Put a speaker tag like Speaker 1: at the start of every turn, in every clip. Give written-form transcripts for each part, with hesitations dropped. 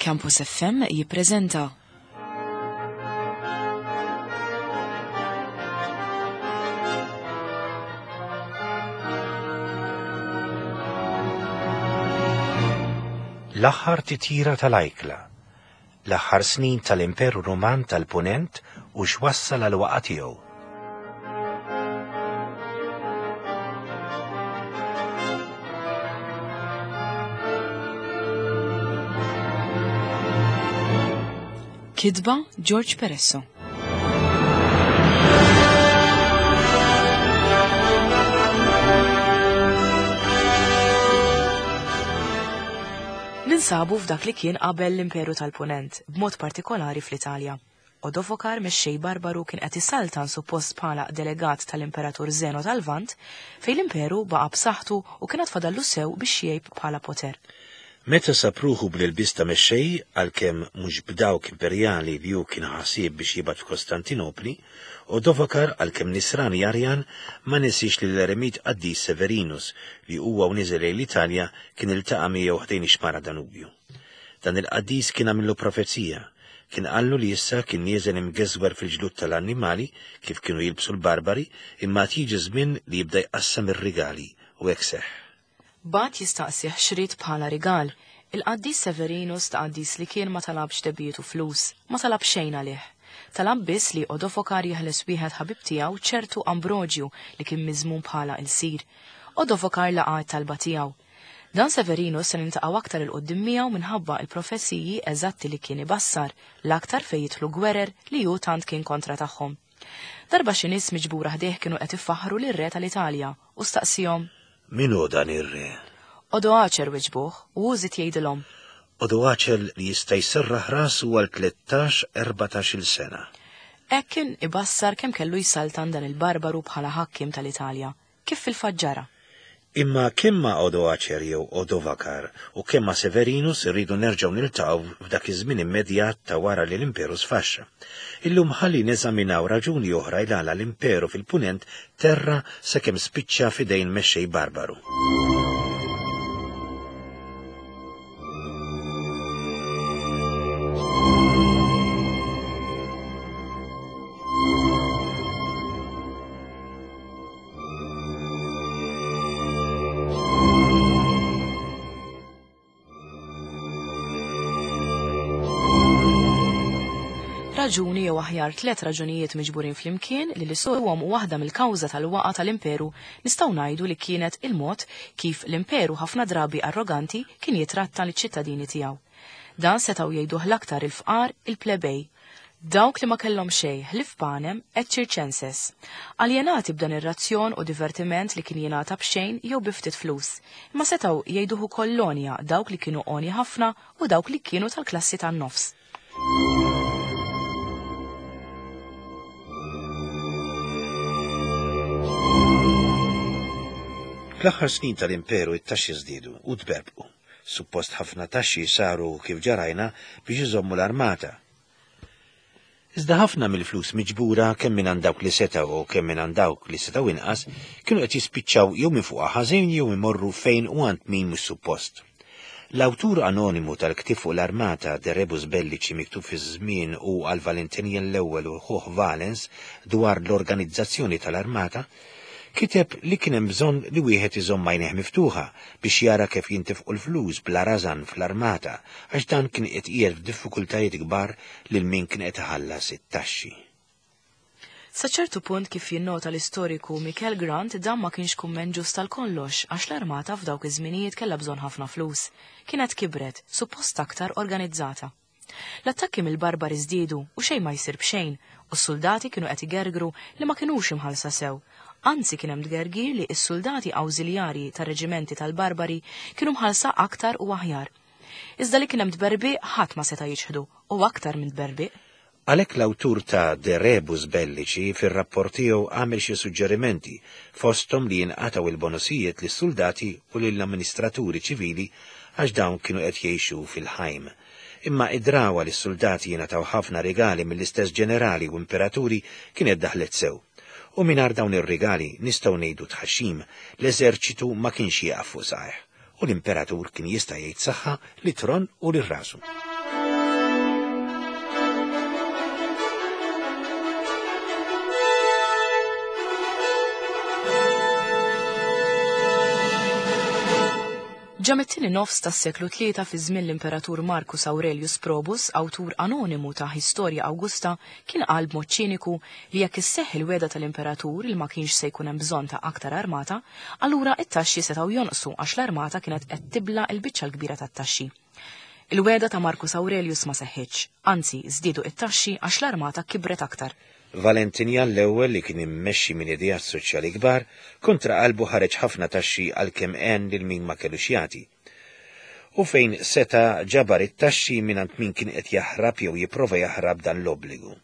Speaker 1: Campus FM jippreżenta.
Speaker 2: L-aħħar titjira tal-ajkla, l-aħħar snin tal-Imperu Ruman tal-Punent u x'wassal għal waqa' tiegħu.
Speaker 1: Kitba George Peresso. Ninsabu f'dak li kien qabel l-Imperu tal-Punent, b'mod partikolari fl-Italja. Odovokar mexxej barbaru kien qed isaltan suppost bħala delegat tal-Imperatur Zeno tal-Lvant, fejn l-imperu baqa' b'saħħtu u kien għad fadallu sew biex jgħib bħala poter.
Speaker 2: Meta sab ruħu bl-ilbies ta' mexxej, għalkemm mhux b'dawk imperjali li hu kien ħa ħsieb biex jibgħat f'Kostantinopli, Odovokar, għalkemm Nisrani Arjan, ma nesiex lill-eremit qaddis Severinus li huwa u niżel lejn l-Italja kien iltaqa' miegħu ħdejn ix-xmara Danubju. Dan il-qaddis kien għamillu profezija. Kien qallu li issa kien nieżel imgeżwer fil-ġlud tal-annimali, kif kienu jilbsu l-barbari, imma għad jiġi żmien li jibda jqassam ir-rigali, u hekk seħħ.
Speaker 1: Bagħat jistaqsih x'ried bħala rigal. Il-qaddis Severinus ta' qaddis li kien ma talabx debbiet u flus, ma talab xejn għalih. Talab biss li Odofokar jeħles wieħed ħabib tiegħu ċertu Ambroġju li kien miżmum bħala ilsir. Odofokar laqa' t-talba tiegħu. Dan Severinus se niltaqgħu aktar 'il quddiem miegħu minħabba l-profeziji eżatti li kien ibassar, l-aktar fejn jidħlu gwerer li hu tant kien kontra tagħhom. Darba xi nies miġbura ħdejh kienu qed ifaħħru lir-re tal-Italja u staqsiehom.
Speaker 2: Min hu dan ir-re?
Speaker 1: Odoacer wiġbuh u hu żied jgħidilhom.
Speaker 2: Odoacer li jista' jserraħ rasu għal tlettax, erbatax-il sena.
Speaker 1: Hekk kien ibassar kemm kellu jsaltan dan il-barbaru bħala ħakkiem tal-Italja. Kif fil-fatt ġara.
Speaker 2: Imma kemm ma' Odoacer jew Odovakar u kemm ma' Severinus irridu nerġgħu niltaqgħu f'dak iż-żmien immedjat ta' wara li l-Imperu sfaxxa. Illum ħalli neżaminaw raġuni oħra il-għala l-Imperu fil-Punent terra sakemm spiċċa f'idejn mexxej barbaru.
Speaker 1: Raġuni jew aħjar tlet raġunijiet miġburin flimkien li l-isuhom waħda mill-kawża tal-waqa tal-imperu nistgħu ngħidu li kienet il-mod kif l-imperu ħafna drabi arroganti kien jitratta liċ-ċittadini tiegħu. Dan setgħu jgħiduh l-aktar il-fqar, il-plebej, Dawk li ma kellhom xejn ħlief panem et circenses. Aljenati b'dan ir-razzjon u divertiment li kien jingħata b'xejn jew bi ftit flus. Imma setgħu jgħiduh ukoll l-għonja, dawk li kienu għonja ħafna u dawk li kienu tal-klassi tan-nofs.
Speaker 2: Fl-aħħar snin tal-Imperu it-taxxi żdiedu u tberbqu. Suppost ħafna taxxi saru kif ġa rajna biex iżommu l-armata. Iżda ħafna mill-flus miġbura kemm mingħand dawk li setgħu u kemm mingħand dawk li setgħu inqas kienu qed jispiċċaw jew minfuqa ħażin jew imorru fejn u għand min mhux suppost. L-awtur anonimu tal-ktieb fuq l-armata De Rebus Bellici miktub fi żmien u għal Valentinian l-Ewwel u ħuh Valens dwar l-organizzazzjoni tal-armata, Kiteb li kien hemm bżonn li wieħed iżomm għajnejh miftuħa biex jara kif jintifqu l-flus bla rażan fl-armata għax dan kien qed iqiegħed f'diffikultajiet kbar lil min kien qed iħallas it-taxxi.
Speaker 1: Sa ċertu punt kif jinnota l-istoriku Michael Grant dan ma kienx kumment ġust għal kollox għax l-armata f'dawk iż-żminijiet kellha bżonn ħafna flus. Kienet kibret, suppost aktar organizzata. L-attakki mill-barbari żdiedu u xejn ma jsir b'xejn u s-suldati kienu qed igergru li ma kinux imħallsa sew. Anzi kien hemm tgergir li s-suldati awżiljarji tar-reġimenti tal-barbari kienu mħallsa aktar u aħjar. Iżda li kien hemm tberbiq ħadd ma seta' jiċħdu u aktar minn tberbiq.
Speaker 2: Għalhekk l-awtur ta' De Rebus Bellici fir-rapport tiegħu għamel xi suġġerimenti, fosthom li jinqatgħu l-bonusijiet lis-suldati u lill-amministraturi ċivili għax dawn kienu qed jgħixu fil-ħajm. Imma id-drawwa li s-suldati jingħataw ħafna rigali mill-istess ġenerali u imperaturi kienet daħlet sew. U mingħajr dawn ir-rigali, nistgħu ngħidu tħaxxim, l-eżerċitu ma kienx jieqaf fuq saqajh u l-imperatur kien jista' jgħid saħħa lit-tron u lil rasu.
Speaker 1: Ġa mit-tieni nofs tas-seklu tlieta fi żmien l-Imperatur Marcus Aurelius Probus, awtur anonimu ta' Historia Augusta, kien qal b'mod ċiniku li jekk isseħħ il-wegħda tal-Imperatur li ma kienx se jkun hemm bżonn ta' aktar armata, allura t-taxxi setgħu jonqsu għax l-armata kienet qed tibla' l-biċċa l-kbira tat-taxxi. Il-wegħda ta' Marcus Aurelius ma seħħitx, anzi żdiedu t-taxxi għax l-armata kibret aktar.
Speaker 2: Valentinjan l-Ewwel li kien immexxi minn ideat soċjali kbar, kontra qalbu ħareġ ħafna taxxi għalkemm għen lil min ma kellux jagħti. U fejn seta' ġabar it-taxxi mingħand min kien qed jaħrab jew jipprova jaħrab dan l-obbligu.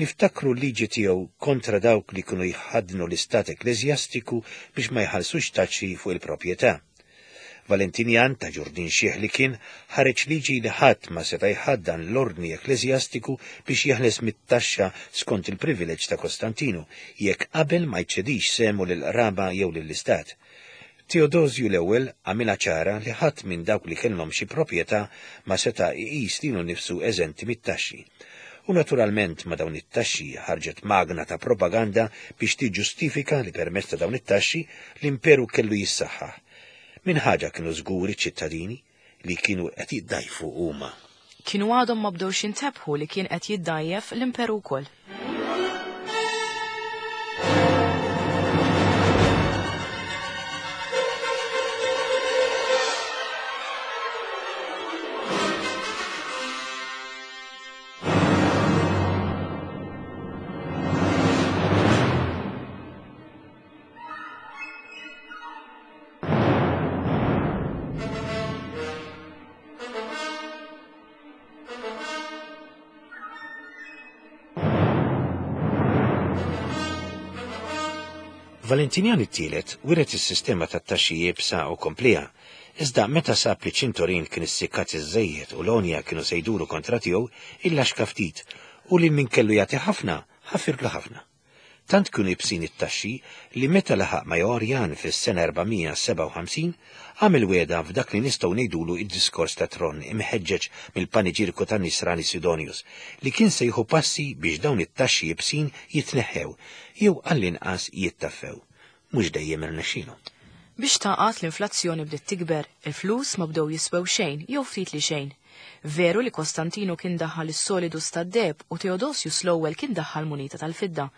Speaker 2: Niftakru l-liġi tiegħu kontra dawk li kienu jħaddnu l-istat ekkleżjastiku biex ma jħallsux taxxi fuq il-proprjetà. Valentinjan, ta' ġurdin xiħ li kien, ħareġ liġi li ħadd ma seta' jħaddan l-ordni ekkleżjastiku biex jeħles mit-taxxa skont il-privileġġ ta' Kostantinu, jekk qabel ma jċedix sehmu lill-qraba jew lill-istat. Teodosju l-Ewwel għamilha ċara li ħadd minn dawk li kellhom xi proprjetà ma seta' iqis lilu nnifsu eżenti mit-taxxi. U naturalment ma' dawn it-taxxi ħarġet magna ta' propaganda biex tiġġustifika li permezz ta' dawn it-taxxi l-imperu kellu jissaħħaħ. Minn ħaġa kienu żguri ċ-ċittadini, li kienu qed jiddgħajfu huma.
Speaker 1: Kienu għadhom ma bdewx jintebħu li kien qed jiddgħajjef l-imperu wkoll.
Speaker 2: Valentinjan it-tielet wiret is-sistema tat-taxxi iebsa u kompliha, iżda meta sab li ċintorin kien issikkat iżżejjed u l-għonja kienu se jduru kontra tiegħu, illaxka ftit u lil min kellu jagħti ħafna, ħafirlu ħafna. Tant kienu ibsin it-taxxi li meta laħaq Majorjan fis-sena 457, għamel wegħda f'dak li nistgħu ngħidulu d-diskors ta' tron imħeġġeġ mill-paniġierku tan-Nisrani Sidonius, li kien se jieħu passi biex dawn it-taxxi ibsin jitneħħew, jew għall-inqas jittaffew. Mhux dejjem irnexxielu.
Speaker 1: Biex tagħqad l-inflazzjoni bdiet tikber, il-flus ma bdew jiswew xejn jew ftit li xejn. Veru li Kostantinu kien daħħal is-solidus tad-deheb u Theodosius l-Ewwel kien daħħal munita tal-fidda.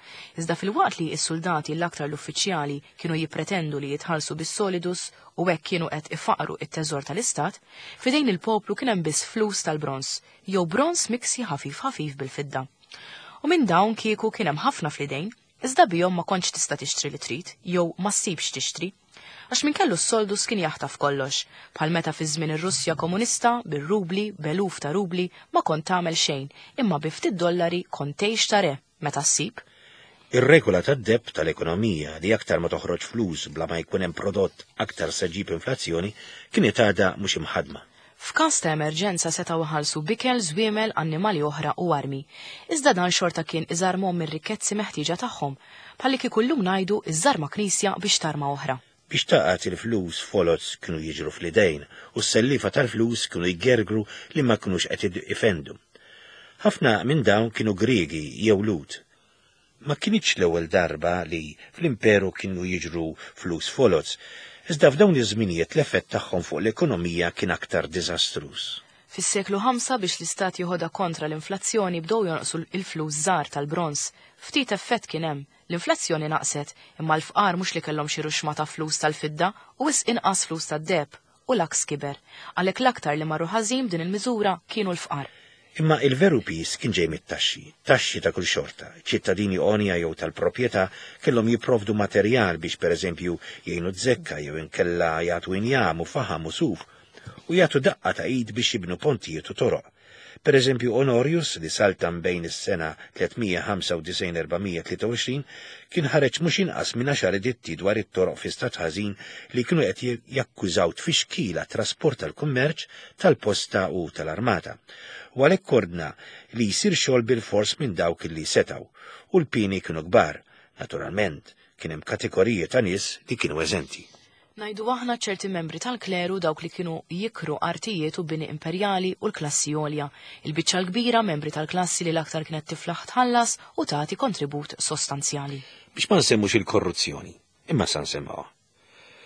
Speaker 1: Iżda filwaqt li s-suldati l-aktar l-uffiċjali kienu jippretendu li jitħallsu bis-solidus u hekk kienu qed ifaqqru t-teżor tal-istat, f'idejn il-poplu kien hemm biss flus tal-bronż, jew bronż miksi ħafif ħafif bil-fidda. U minn dawn kieku kien hemm ħafna fl-idejn, Iżda bihom ma kontx tista' tixtri li trid, jew ma ssibx tixtri. Għax min kellu s-soldus kien jaħtaf kollox, bħal meta fi żmien ir-Russja komunista, bir-rubli, b'eluf ta' rubli, ma kont tagħmel xejn, imma bi ftit dollari kont tgħix ta' re, meta ssib.
Speaker 2: Ir-regola tad-deheb tal-ekonomija li aktar ma toħroġ flus bla ma jkun hemm prodott aktar se ġġib inflazzjoni kienet għadha mhux imħaddma.
Speaker 1: F'każ ta' emerġenza setgħu iħallsu b'ikel, żwiemel, annimali oħra u armi. Iżda dan xorta kien iżarmhom mir-rikkezzi meħtieġa tagħhom. Bħallikieku llum ngħidu iżżarma knisja biex tarma oħra.
Speaker 2: Biex tagħqad il-flus foloz kienu jiġru fl-idejn u s-selliefa tal-flus kienu jgergru li ma kinux qed ifendu. Ħafna minn dawn kienu Griegi jew Lhud. Ma kinitx l-ewwel darba li fl-Imperu kienu jiġru flus foloz, iżda f'dawn iż-żminijiet l-effett tagħhom fuq l-ekonomija kien aktar diżastruż.
Speaker 1: Fis-seklu ħamsa biex l-istat jeħodha kontra l-inflazzjoni bdew jonqsu l-flus żgħar tal-bronż. Ftit effett kien hemm. L-inflazzjoni naqset, imma l-fqar mhux li kellhom xi ruxma ta' flus tal-fidda u wisq inqas flus tad-deheb. U l-għaks kiber. Għalhekk l-aktar li marru ħażin b'din il-miżura kienu l-fqar.
Speaker 2: Imma il-veru piż kien ġej mit-taxxi, taxxi ta' kull xorta. Ċittadini għonja jew tal-proprjetà kellhom jipprovdu materjal biex pereżempju jgħinu z-zekka jew inkella jagħtu injam u faħam u suf u jagħtu daqqa ta' id biex jibnu pontijiet u toroq. Per eżempju, Onorius, li saltan bejn is-sena 395-423, kien ħareġ mhux inqas minn għaxar editti dwar it-toroq fi stat ħażin li kienu qed jakkużaw tfixkil għat-trasport tal-kummerċ, tal-posta u tal-armata. U għalhekk ordna li jsir xogħol bilfors minn dawk li setgħu, u l-pieni kienu kbar. Naturalment, kien hemm kategoriji ta' nies li kienu eżenti.
Speaker 1: Ngħidu aħna ċerti membri tal-kleru, dawk li kienu jikru artijiet u bini imperjali u l-klassi għolja, il-biċċa l-kbira membri tal-klassi li l-aktar kienet tiflaħ tħallas u tagħti kontribut sostanzjali.
Speaker 2: Biex ma nsemmux il-korruzzjoni, imma sa nsemmuha.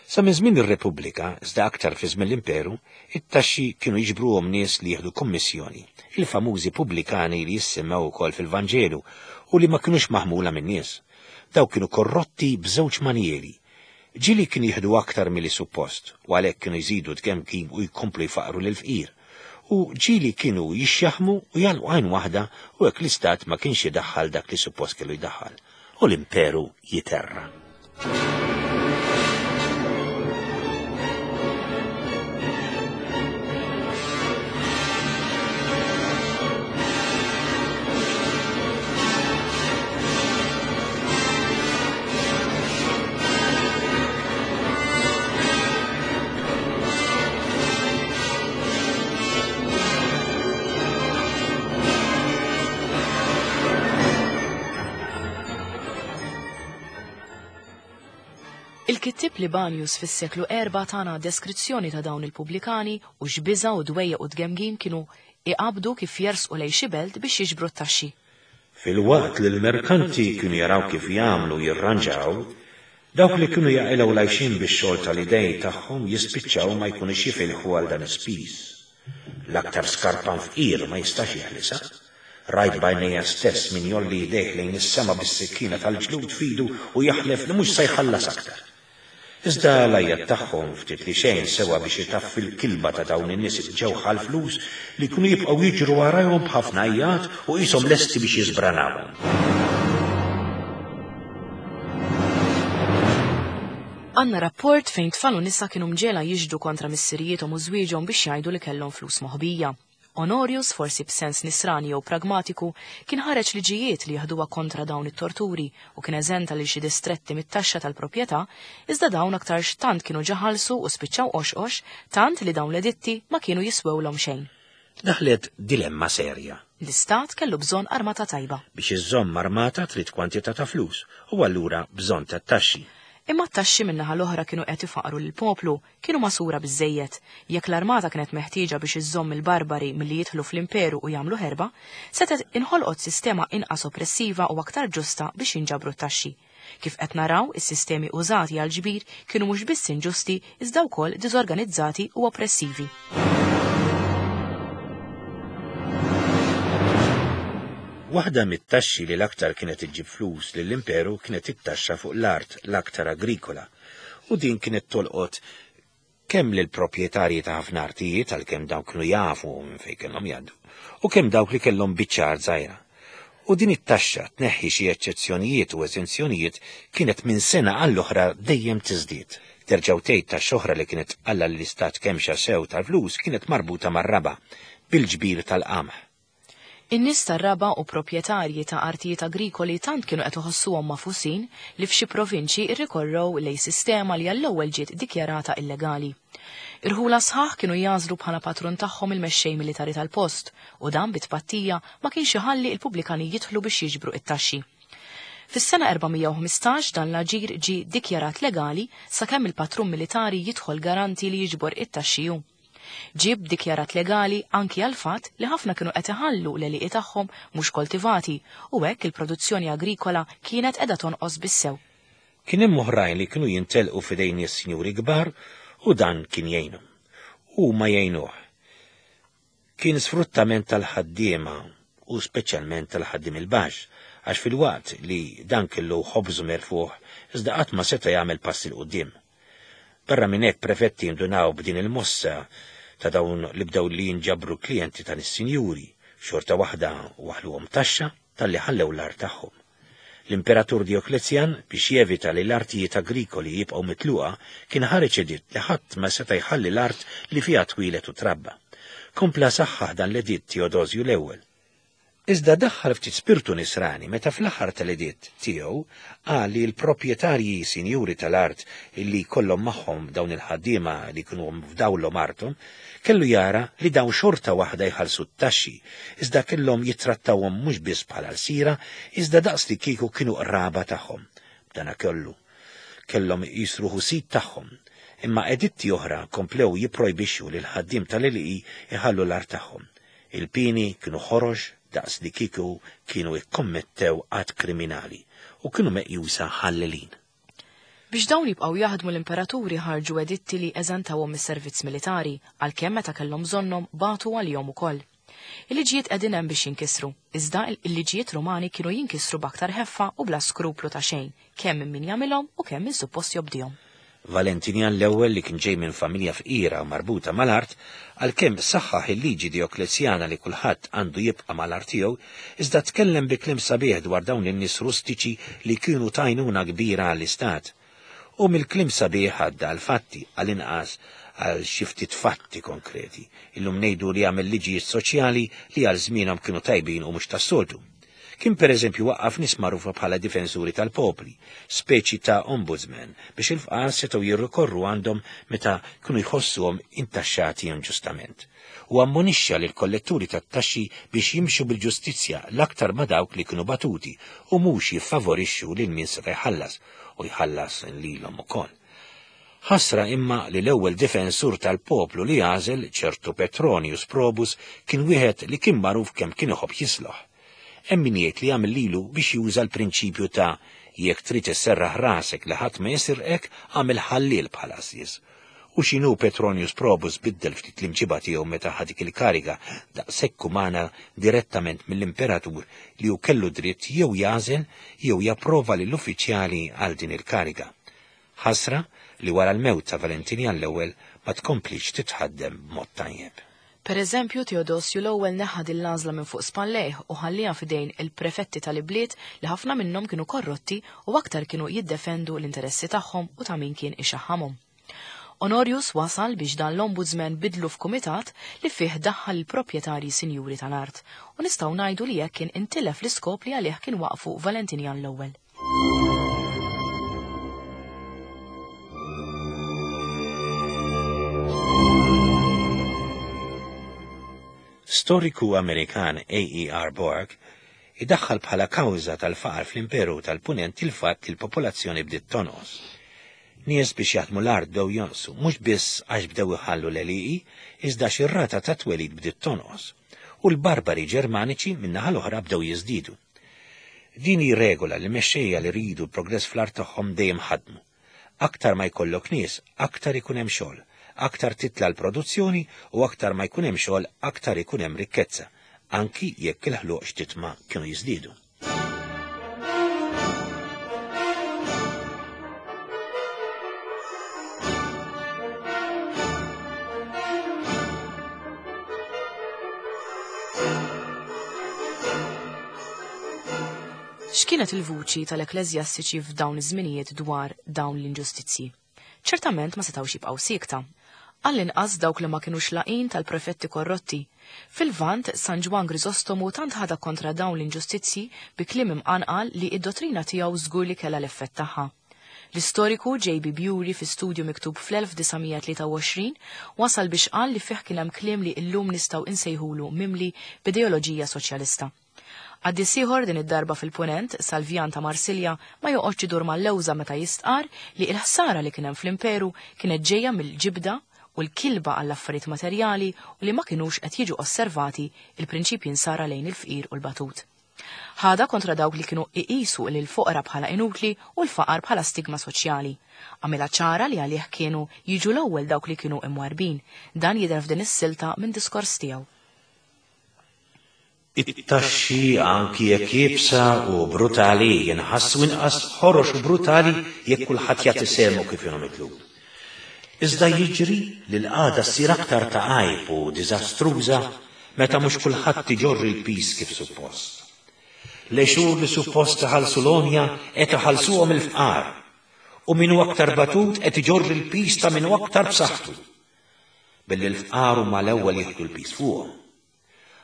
Speaker 2: Sa minn żmien ir-Repubblika, iżda aktar fi żmien l-Imperu, it-taxxi kienu jiġbruhom nies li jieħdu kummissjoni, il-famużi pubblikani li jissemmew ukoll fil-Vanġelu u li ma kinux maħmula min-nies. Dawk kienu korrotti b'żewġ manjieri. Ġieli kienu jieħdu aktar milli suppost u għalhekk kienu jżidu t-tgemgim u jkomplu jfaqqru lill-fqir. U ġieli kienu jixxaħħmu u jagħlqu għajn waħda u hekk l-istat ma kienx idaħħal dak li suppost kellu jdaħħal. U l-imperu jiterra.
Speaker 1: Il-kittieb Libanius fis-seklu erbgħa tana deskrizzjoni ta' dawn il-pubblikani u x'biża' u dwejjaq u tgemgim kienu iqabbdu kif jersqu lejn xi belt biex jiġbru t-taxxi.
Speaker 2: Filwaqt li l-merkanti kienu jaraw kif jagħmlu u jirranġaw, dawk li kienu jaqilgħu l-għajxien bix-xogħol tal-idejn tagħhom jispiċċaw ma jkunux jifilħu għal dan is-spiż. L-aktar skarpan fqir ma jistax jeħlisha. Rajt b'għajnejja stess min jgħolli jdejh lejn is-sema bis-sikkina tal-ġlud f'idu u jaħlef li mhux se jħallas aktar. Iżda l-għajjat tagħhom ftit li xejn sewa biex itaffi l-kilba ta' dawn in-nies imġewħa għall-flus li jkunu jibqgħu jiġru warajhom b'ħafna għajjat u qishom lesti biex jiżbranawhom.
Speaker 1: Għandna rapport fejn tfal u nisa kienu mġegħla jixhdu kontra missirijiethom u żwieġhom biex jgħidu li kellhom flus moħbija. Honorius, forsi b'sens nisrani jew pragmatiku, kien ħareġ liġijiet li jeħduha kontra dawn it-torturi u kien eżenta lil xi distretti mit-taxxa tal-proprjetà, iżda dawn aktarx tant kienu ġa ħallsu u spiċċaw qoxqox tant li dawn l-editti ma kienu jiswewlhom xejn.
Speaker 2: Daħlet dilemma serja.
Speaker 1: L-istat kellu bżonn armata tajba.
Speaker 2: Biex iżżomm armata trid kwantità ta' flus u allura bżonn ta' taxxi.
Speaker 1: Imma t-taxxi min-naħa l-oħra kienu qed ifaqqru lill-poplu, kienu magħsura biżżejjed. Jekk l-armata kienet meħtieġa biex iżżomm il-barbari milli jidħlu fl-imperu u jagħmlu ħerba, setgħet inħolqot sistema inqas oppressiva u aktar ġusta biex jinġabru t-taxxi. Kif qed naraw, is-sistemi użati għall-ġbir kienu mhux biss inġusti iżda wkoll diżorganizzati u oppressivi.
Speaker 2: Waħda mit-taxxi li l-aktar kienet iġġib flus lill-imperu kienet it-taxxa fuq l-art l-aktar agrikola, u din kienet tolqot kemm lill-proprjetarji ta' ħafna artijiet għalkemm dawn kienu jafu minn fejn kellhom jgħaddu, u kemm dawk li kellhom biċċa art żgħira. U din it-taxxa, tneħħi xi eċċezzjonijiet u eżenzjonijiet, kienet minn sena għall-oħra dejjem tiżdied. Terġa' u tgħid taxxa oħra li kienet tqalla' lill-istat kemxa sew tal-flus kienet marbuta mar-raba', bil-ġbir tal-qamħ.
Speaker 1: In-nies tar-raba' u proprjetarji ta' artijiet agrikoli tant kienu qed iħossuhom magħfusin li f'xi provinċji rrikorrew lejn sistema li għall-ewwel ġiet dikjarata illegali. Irħula sħaħ kienu jagħżlu bħala patrun tagħhom il-mexxej militari tal-post u dan bi tpattija ma kienx iħalli l-pubblikani jidħlu biex jiġbru t-taxxi. Fis-sena 415 dan l-aġir ġie dikjarat legali sakemm il-patrun militari jidħol garanti li jiġbor it-taxxi hu. Ġie ddikjarat legali anki għall-fatt li ħafna kienu qed iħallu l-għelieqi tagħhom mhux koltivati u hekk il-produzzjoni agrikola kienet qiegħda tonqos bis-sew.
Speaker 2: Kien hemm oħrajn li kienu jintelqu f'idejn nies sinjuri kbar u dan kien jgħinhom. Huma jgħinuh. Kien sfruttament tal-ħaddiema u speċjalment tal-ħaddiem il-baxx għax filwaqt li dan kellu ħobżu merfugħ iżda qatt ma seta' jagħmel pass 'il quddiem. Barra minn hekk prefetti indunaw b'din il-mossa ta' dawn li bdew li jinġabru klijenti ta' nies sinjuri, xorta waħda waħħluhom taxxa talli ħallew l-art tagħhom. L-Imperatur Djoklezjan, biex jevita li l-artijiet agrikoli jibqgħu mitluqa, kien ħareġ editt li ħadd ma seta' jħalli l-art li fiha twieled u trabba. Kompla saħħaħ dan l-editt Teodosju l-Ewwel. Iżda daħħal ftit spirtu nisrani meta fl-aħħar tal-editt tiegħu qal li l-proprjetarji sinjuri tal-art li jkollhom magħhom dawn il-ħaddiema li jkunu fdawlhom arthom kellu jara li dawn xorta waħda jħallsu t-taxxi iżda kellhom jittrattawhom mhux biss bħala lsira iżda daqs li kieku kienu qraba tagħhom. B'dana kollu kellhom iqis ruħu sid tagħhom. Imma editti oħra komplew jipprojbixxu li l-ħaddiem tal-għelieqi jħallu l-art tagħhom. Il-pieni kienu ħorox daqs li kieku kienu ikkommettew att kriminali u kienu meqjusa ħallelin.
Speaker 1: Biex dawn jibqgħu jaħdmu l-imperaturi ħarġu editti li eżentawhom mis-servizz militari, għalkemm meta kellhom bżonnhom bagħtu għalihom ukoll. Il-liġijiet qegħdin hemm biex jinkisru, iżda il-liġijiet Rumani kienu jinkisru b'aktar ħeffa u bla skruplu ta' xejn, kemm minn min jagħmilhom u kemm min suppost jobdihom.
Speaker 2: Valentinian l-Ewwel li kien ġej minn familja fqira u marbuta mal-art, għalkemm saħħaħ il-liġi Dioklezjana li kulħadd għandu jibqa' mal-art tiegħu, iżda tkellem bi kliem sabiħ dwar dawn in-nies rustiċi li kienu t'għajnuna kbira għall-istat. U mill-kliem sabiħ għadda għall-fatti, għall-inqas għal xi ftit fatti konkreti. Illum ngħidu li għamel liġijiet soċjali li għal żmienhom kienu tajbin u mhux tas-soltu. Kien pereżempju waqqaf nies magħrufa bħala difensuri tal-popli, speċi ta' ombudsman, biex il-fqar setgħu jirrikorru għandhom meta kienu jħossuhom intaxxati inġustament. U ammonixxa lill-kolletturi tat-taxxi biex jimxu bil-ġustizzja l-aktar ma' dawk li kienu batuti u mhux jiffavorixxu lil min seta' jħallas u jħallas lilhom ukoll. Ħasra imma li l-ewwel difensur tal-poplu li għażel, ċertu Petronius Probus, kien wieħed li kien magħruf kemm kien iħobb jisloħ. Hemm min jgħid li għamel lilu biex juża l-prinċipju ta' jekk trid isserraħ rasek li ħadd ma jisirqek, agħmel ħalliel bħal għassies. U x'inhu Petronius Probus biddel ftit l-imġiba tiegħu meta ħa dik il-kariga daqshekk umana direttament mill-imperatur li hu kellu dritt jew jagħżel jew japprova lill-uffiċjali għal din il-kariga. Ħasra li wara l-mewt ta' Valentinian l-Ewwel ma tkomplitx titħaddem b'mod tajjeb.
Speaker 1: Per eżempju, Teodosju l-Ewwel neħħa din l-għażla minn fuq spallejh u ħallieha f'idejn il-prefetti tal-ibliet li ħafna minnhom kienu korrotti u aktar kienu jiddefendu l-interessi tagħhom u ta' min kien ixaħħamhom. Honorius wasal biex dan l-ombudsman bidlu f'kumitat li fih daħħal il-proprjetarji sinjuri tal-art u nistgħu ngħidu li hekk kien intilef l-iskop li għalih kien waqqfu Valentinian l-Ewwel.
Speaker 2: Storiku Amerikan A.E.R. Borg idaħħal bħala kawża tal-faqar fl-Imperu tal-Punent il-fatt li l-popolazzjoni bdiet tonqos. Nies biex jaħdmu l-art bdew jonqsu, mhux biss għax bdew iħallu l-għelieqi, iżda għax ir-rata ta' twelid bdiet tonqos. U l-barbari Ġermaniċi min-naħa l-oħra bdew jiżdiedu. Din hi regola li mexxejja li jridu l-progress fl-art tagħhom dejjem ħadmu. Aktar ma jkollok nies, aktar ikun hemm xogħol, aktar titla' l-produzzjoni u aktar ma jkun hemm xogħol aktar ikun hemm rikkezza, anki jekk il-ħluq x'titma' kienu jiżdiedu.
Speaker 1: X'kienet il-vuċi tal-ekkleżjastiċi f'dawn iż-żminijiet dwar dawn l-inġustizzji? Ċertament ma setgħux jibqgħu siekta. Għall-inqas dawk li ma kinux laqin tal-prefetti korrotti. Fil-Lvant, San Ġwann Grisostomu tant ħadha kontra dawn l-inġustizzji bi kliem imqanqal li d-dottrina tiegħu żgur li kellha l-effett tagħha. L-istoriku JB Bury fi studju miktub fl-1923 wasal biex qal li fih kien hemm kliem li illum nistgħu insejħulu mimli b'ideoloġija soċjalista. Qaddis ieħor din id-darba fil-Punent, Salvjan ta' Marsilja, ma joqgħodx idur mal-lewża meta jistqarr li l-ħsara li kien hemm fl-imperu kienet ġejja mill-ġibda u l-kilba għall-affarijiet materjali u li ma kinux qed jiġu osservati il-prinċipji nsara lejn il-fqir u l-batut. Ħadha kontra dawk li kienu iqisu lill-foqra bħala inutli u l-faqar bħala stigma soċjali. Għamilha ċara li għalih kienu jiġu l-ewwel dawk li kienu imwarrbin. Dan jidher f'din is-silta minn diskors tiegħu.
Speaker 2: It-taxxi, anki jekk iebsa u brutali, jinħassu inqas ħorox u brutali jekk kulħadd jagħti sehmu kif inhu mitlub. Iżda jiġri li l-qagħda ssir aktar ta' għajb u diżastruża meta mhux kulħadd iġorr il-piż kif suppost. L-għexur li suppost iħallsu l-għonja qed iħallsuhom il-fqar, u min hu aktar batut qed iġorr il-piż ta' min hu aktar b'saħħtu. Billi l-fqar huma l-ewwel jieħdu l-piż fuqhom.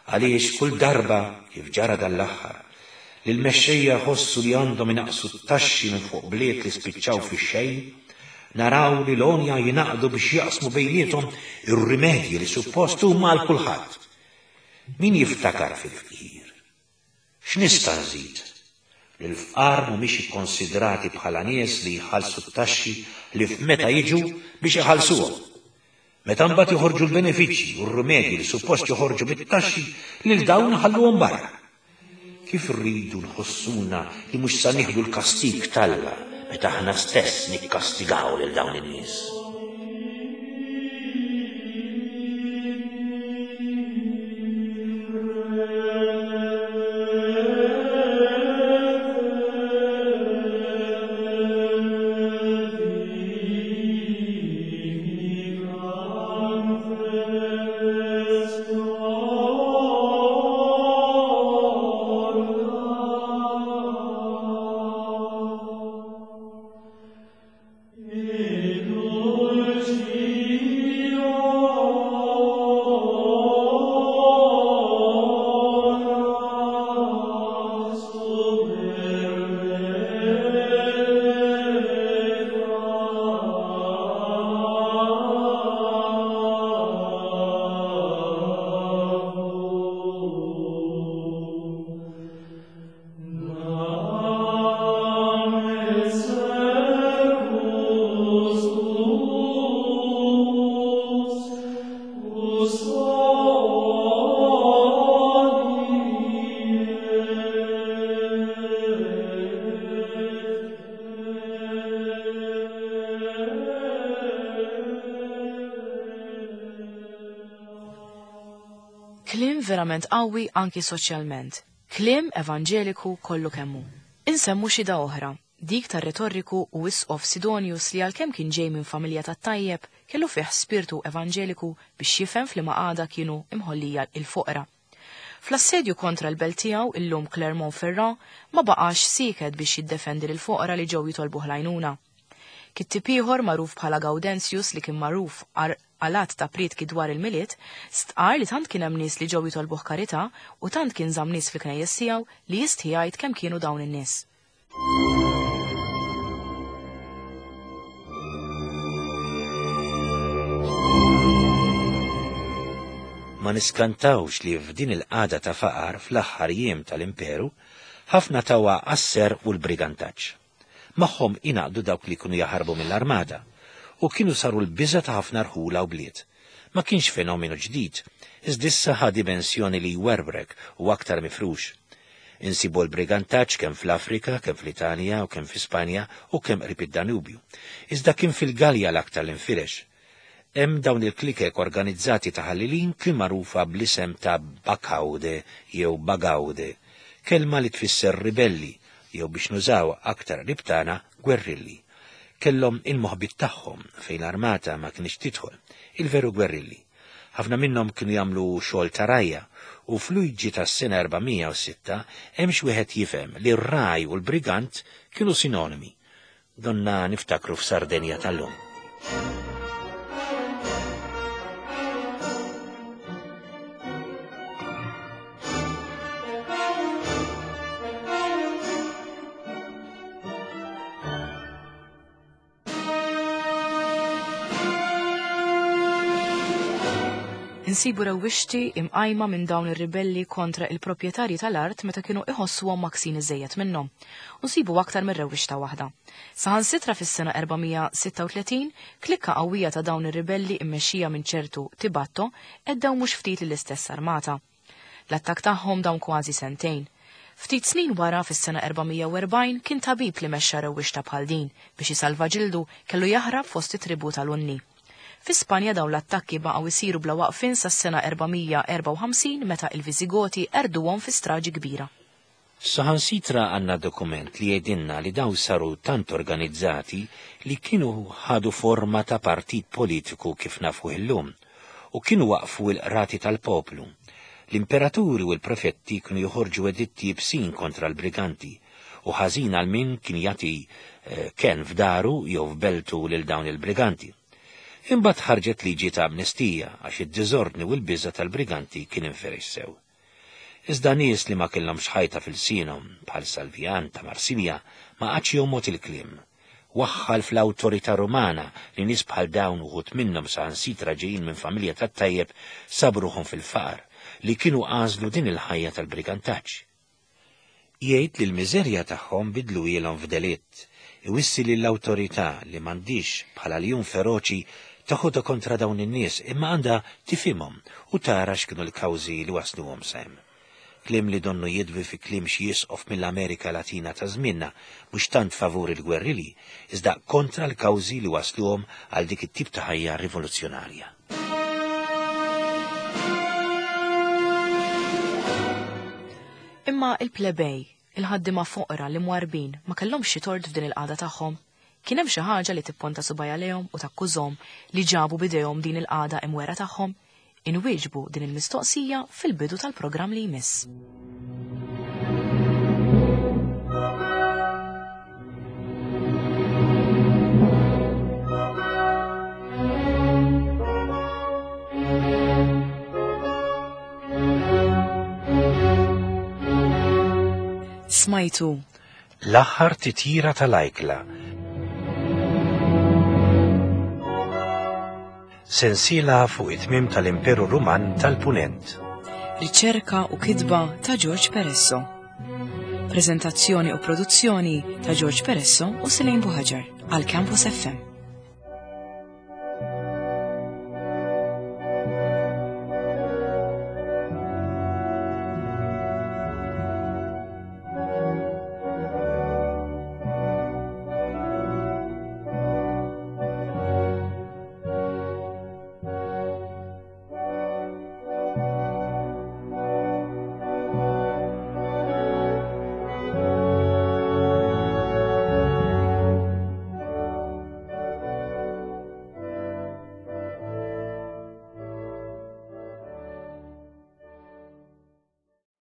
Speaker 2: Għaliex kull darba, kif ġara dan l-aħħar, li l-mexxejja jħossu li għandhom inaqqsu t-taxxi minn fuq bliet li spiċċaw fix-xejn, naraw li l-għonja jingħaqdu biex jaqsmu bejniethom ir-rimedji li suppost huma għal kulħadd. Min jiftakar fil-fqir? X'nista' nżid? Li l-fqar mhumiex ikkonsidrati bħala nies li jħallsu t-taxxi ħlief meta jiġu biex iħallsuhom. Meta mbagħad joħorġu l-benefiċċji u r-rimedji li suppost joħorġu mit-taxxi, lil dawn iħalluhom barra. Kif irridu nħossuna li mhux sa nieħdu l-kastig t'Alla meta aħna stess nikkastigaw lil dawn in-nies.
Speaker 1: Kliem verament qawwi anki soċjalment. Kliem evanġeliku kollu kemm hu. Insemmu xhieda oħra, dik tar-retorriku u isqof Sidonius li għalkemm kien ġej minn familja tat-tajjeb, kellu fih spirtu evanġeliku biex jifhem f'liema qagħda kienu imħollija l-foqra. Fl-assedju kontra l-belt tiegħu, illum Clermont-Ferrand, ma baqax sieket biex jiddefendi lill-foqra li ġew jitolbuh l-għajnuna. Kittieb ieħor magħruf bħala Gaudentius li kien magħruf għal għadd ta' prietki dwar il-Milied, stqarr li tant kien hemm nies li ġew jitolbuh karità u tant kien żamm nies fil-knejjes tiegħu li jistħi jgħid kemm kienu dawn in-nies.
Speaker 2: Ma niskantawx li f'din il-qagħda ta' faqar fl-aħħar jiem tal-Imperu, ħafna tawha għas-serq u l-brigantaġġ. Magħhom ingħaqdu dawk li kienu jaħarbu mill-armata u kienu saru l-biża' ta' ħafna rħula u bliet. Ma kienx fenomenu ġdid, iżda issa ħa dimensjoni li jwerwrek u aktar mifrux. Insibu l-brigantaġġ kemm fl-Afrika, kemm fl-Italja u kemm fi Spanja u kemm qrib id-Danubju. Iżda kien fil-Galja l-aktar li nfirex. Hemm dawn il-klikek organizzati ta' ħallelin kien magħrufa bl-isem ta' Bacaude jew Bagaude, kelma li tfisser ribelli jew biex nużaw aktar qrib tagħna gwerrilli. Kellhom il-moħbiet tagħhom fejn l-armata ma kinitx tidħol, il-veru gwerrilli. Ħafna minnhom kienu jagħmlu xogħol ta' rgħajja u f'Luigi tas-sena 406 hemm x'wieħed jifhem li r-ragħaj u l-brigant kienu sinonimi. Donna niftakru f'Sardenja tal-lum.
Speaker 1: Insibu rewwixti imqajma minn dawn ir-ribelli kontra il-proprjetarji tal-art meta kienu iħossuhom maksin iżejjed minnhom. U nsibu aktar minn rewwixta waħda. Saħansitra fis-sena 436, klikka qawwija ta' dawn ir-ribelli immexxija minn ċertu Tibatto għeddew mhux ftit lill-istess armata. L-attakk tagħhom dam kważi sentejn. Ftit snin wara, fis-sena 440, kien tabib li mexxa rewwixta bħal din, biex isalva ġildu, kellu jaħrab fost it-tribù tal-Unni. Fi Spanja dawn l-attakki baqgħu jsiru bla waqfien sas-sena 454 meta il-Viżigoti qerduhom fi straġi kbira.
Speaker 2: Saħansitra għandna dokument li jgħidilna li dawn saru tant organizzati li kienu ħadu forma ta' partit politiku kif nafuh illum u kienu waqqfu l-qrati tal-poplu. L-imperaturi u l-prefetti kienu joħorġu editti iebsin kontra l-briganti u ħażin għal min kien jagħti kenn f'daru jew f'beltu lil dawn il-briganti. Imbagħad ħarġet liġi ta' amnestija għax id-diżordni u l-biża' tal-briganti kien inferex sew. Iżda nies li ma kellhomx ħajta f'ilsienhom, bħal Salvian ta' Marsilja, ma qagħadx jomgħod il-kliem. Waħħal fl-awtorità Rumana li nies bħal dawn uħud minnhom saħansitra ġejjin minn familja tat-tajjeb sabu ruħhom fil-faqar, li kienu għażlu din il-ħajja tal-brigantaġġ. Jgħid li l-miżerja tagħhom bidluhielhom f'delitt, iwissi lill-awtorità li m'għandhiex, bħala ljun feroċi, teħodha kontra dawn in-nies imma għandha tifhimhom u tara x'kienu l-kawżi li wassluhom sa hemm. Kliem li donnu jidwi fi kliem xi isqof mill-Amerika Latina ta' żmienna, mhux tant favur il-gwerrili, iżda kontra l-kawżi li wassluhom għal dik it-tip ta' ħajja rivoluzzjonarja.
Speaker 1: Imma il-plebej, il-ħaddiema foqra, l-imwarrbin, ma kellhomx xi tort f'din il-qagħda tagħhom? Kien hemm xi ħaġa li tipponta subgħajha lejhom u takkużhom li ġabu b'idejhom din il-qagħda imwergħa tagħhom? Inwieġbu din il-mistoqsija fil-bidu tal-programm li jmiss. Smajtu
Speaker 2: L-aħħar titjira tal-ajkla. Sensiela fuq it-tmiem tal-Imperu Ruman tal-Punent.
Speaker 1: Riċerka u kitba ta' George Peresso. Preżentazzjoni u produzzjoni ta' George Peresso u Selene Buhaġar għal Campus FM.